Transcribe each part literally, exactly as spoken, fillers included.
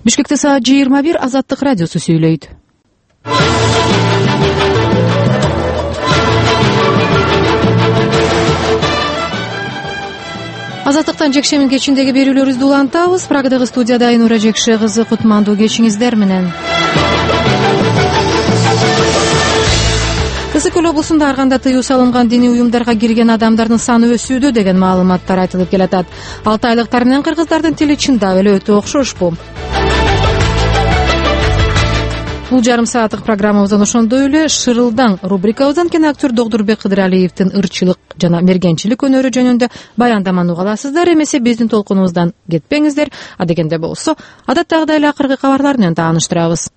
Бишкекте саат жыйырма бир. Азаттык радиосу сүйлөйт. Азаттыктан жекшемин кечиндеги берүүлөрүбүздү улантабыз. Прагадагы студияда Айнура Жекше кызы, кутмандуу кечиңиздер менен. Ысык көл облусунда ар кандай тыюу салынган диний уюмдарга кирген адамдардын саны өсүүдө деген маалыматтар айтылып келатат. Алтайлыктар менен кыргыздардын тили чындап эле өтө окшошпу? Бул жарым сааттык программабыздан ошондой эле Шырылдаң рубрикабыздан киноактер Догдурбек Кыдыралиевдин ырчылык жана мергенчилик өнөрү жөнүндө баяндаманы уга аласыздар. Эмесе биздин толкунубуздан кетпеңиздер. Адегенде болсо, адаттагыдай эле акыркы кабарлар менен тааныштырабыз.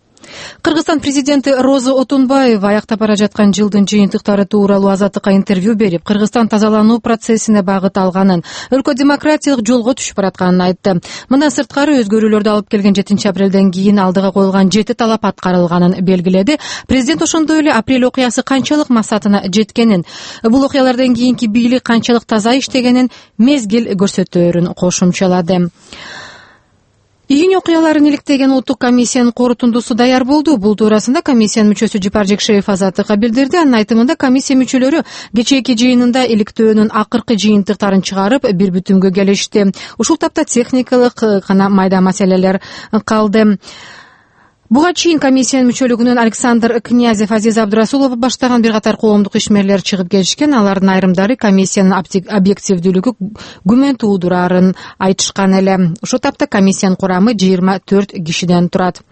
Кыргызстан президенти Роза Отунбаева аяктап бара жаткан жылдын жыйынтыктары тууралуу Азаттыкка интервью берип, Кыргызстан тазалануу процессине багыт алганын, өлкө демократиялык жолго түшүп баратканын айтты. Мындан сырткары өзгөрүүлөрдү алып келген жетинчи апрелден кийин алдыга коюлган жети талап аткарылганын белгиледи. Президент ошондой эле апрель окуясы канчалык максатына жеткенин, бул окуялардан кийинки бийлик канчалык таза иштегенин мезгил көрсөтөөрүн кошумчалады. Июнь окуяларын иликтеген улуттук комиссиянын корутундусу даяр болду. Бул туурасында комиссиянын мүчөсү Жипар Жекшеев Азаттыкка билдирди. Анын айтымында комиссия мүчөлөрү кечээки жыйынында иликтөөнүн акыркы жыйынтыктарын чыгарып, бир бүтүмгө келишти. Ушул тапта техникалык гана майда маселелер калды. Буга чейин комиссиянын мүчөлүгүнөн Александр Князев, Азиз Абдурасулов баштаган бир катар коомдук ишмерлер чыгып келишкен. Алардын айрымдары комиссиянын объективдүүлүгү күмөн туудурарын айтышкан эле. Ошол тапта комиссиянын курамы жыйырма төрт кишиден турат.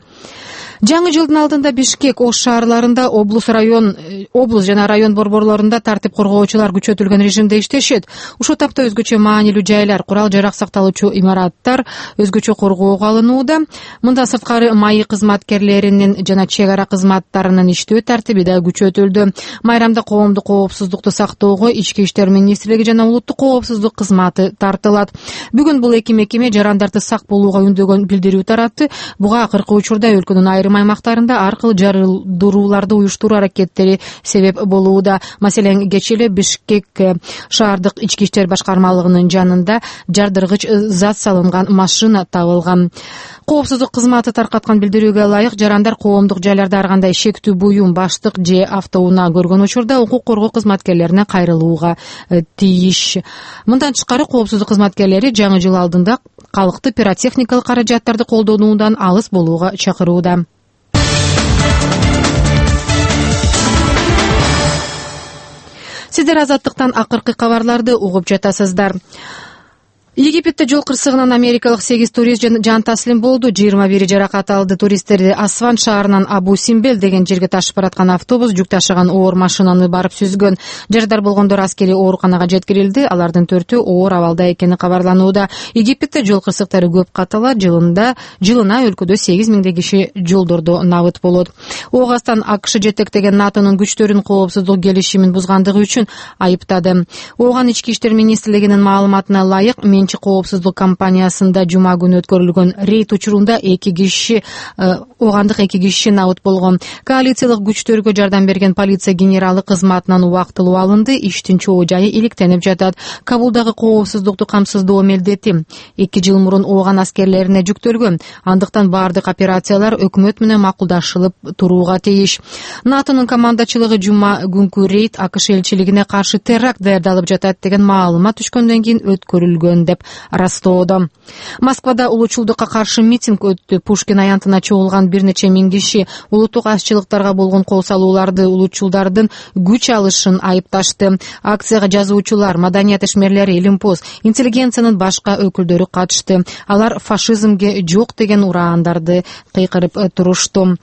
Жаңы жылдын алдында Бишкек, Ош шаарларында облус район, облус жана район борборлорунда тартип коргоочулар күчөтүлгөн режимде иштешет. Ушул тапта өзгөчө маанилүү жайлар, курал-жарак сакталуучу имараттар өзгөчө коргоого алынууда. Мындан сырткары маи кызматкерлеринин жана чек ара кызматтарынын иштөө тартиби да күчөтүлдү. Майрамда коомдук коопсуздукту сактоого Ички иштер министрлиги жана улуттук коопсуздук кызматы тартылат. Бүгүн бул эки мекеме жарандарды сак болууга үндөгөн билдирүү таратты. Буга акыркы учурда өлкөнүн айрым аймактарында ар кыл жарылдырууларды уюштуруу аракеттери себеп болууда. Маселен, кечээ эле Бишкек шаардык ички иштер башкармалыгынын жанында жардыргыч зат салынган машина табылган. Коопсуздук кызматы таркаткан билдирүүгө ылайык, жарандар коомдук жайларда ар кандай шектүү буюм, баштык же автоунаа көргөн учурда укук коргоо кызматкерлерине кайрылууга тийиш. Мындан тышкары, коопсуздук кызматкерлери жаңы жыл алдында калкты пиротехникалык каражаттарды колдонуудан алыс болууга чакырууда. Сиздер Азаттыктан акыркы кабарларды угуп жатасыздар. Египетте жол кырсыгынан америкалык сегиз турист жан таслим болду. жыйырма бири жаракат алды. Туристтерди Асван шаарынан Абу Симбел деген жерге ташып бараткан автобус жүк ташыган оор машинаны барып сүзгөн. Жарадар болгондор аскерий ооруканага жеткирилди. Алардын төртөө оор абалда экени кабарланууда. Египетте жол кырсыктары көп каталат. Жылында жылына өлкөдө сегиз миңдей киши жолдордо набыт болот. Оогастан АКШ жетектеген НАТОнун күчтөрүн коопсуздук келишимин бузгандыгы үчүн айыптады. Ооган ички иштер министрлигинин маалыматына ылайык, коопсуздук компаниясында жума күнү өткөрүлгөн рейд учурунда эки киши, оогандык эки киши набыт болгон. Коалициялык күчтөргө жардам берген полиция генералы кызматынан убактылуу алынды. Иштин чоо жайы иликтенип жатат. Кабулдагы коопсуздукту камсыздоо милдети эки жыл мурун ооган аскерлерине жүктөлгөн. Андыктан баардык операциялар өкмөт менен макулдашылып турууга тийиш. НАТОнун командачылыгы жума күнкү рейд АКШ элчилигине каршы теракт даярдалып жатат деген маалымат түшкөндөн кийин өткөрүлгөн деп растоодо. Москвада улуучулдукка каршы митинг өттү. Пушкин аянтына чогулган бир нече миң киши улуттук азчылыктарга болгон кол салууларды улуучулдардын күч алышын айыпташты. Акцияга жазуучулар, маданият ишмерлери, Илимпоз, интеллигенциянын башка өкүлдөрү катышты. Алар фашизмге жок деген ураандарды кыйкырып турушту.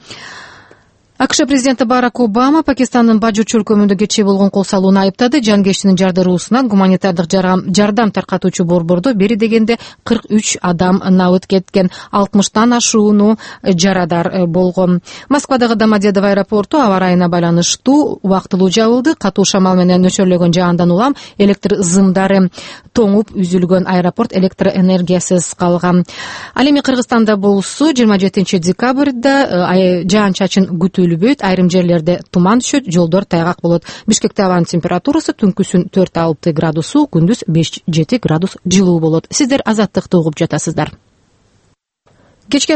АКШ президенти Барак Обама Пакистандын Бажу чөлкөмүндө кечээ болгон кол салууну айыптады. Жангештинин жардыруусунан гуманитардык жардам таркатуучу борбордо бери дегенде кырк үч адам набыт кеткен, алтымыштан ашууну жарадар болгон. Москвадагы Домодедово аэропорту аба ырайына байланыштуу убактылуу жабылды. Катуу шамал менен нөшөрлөгөн жаандан улам электр зымдары тоңуп үзүлгөн. Аэропорт электр энергиясыз калган. Ал эми Кыргызстанда болсо жыйырма жетинчи декабрда жаан-чачын күтүлөт. Айрым жерлерде туман түшөт, жолдор тайгак болот. Бишкекте абанын температурасы түнкүсүн төрт алты градусу, күндүз беш жети градус жылуу болот. Сиздер Азаттыкты угуп жатасыздар. Кечки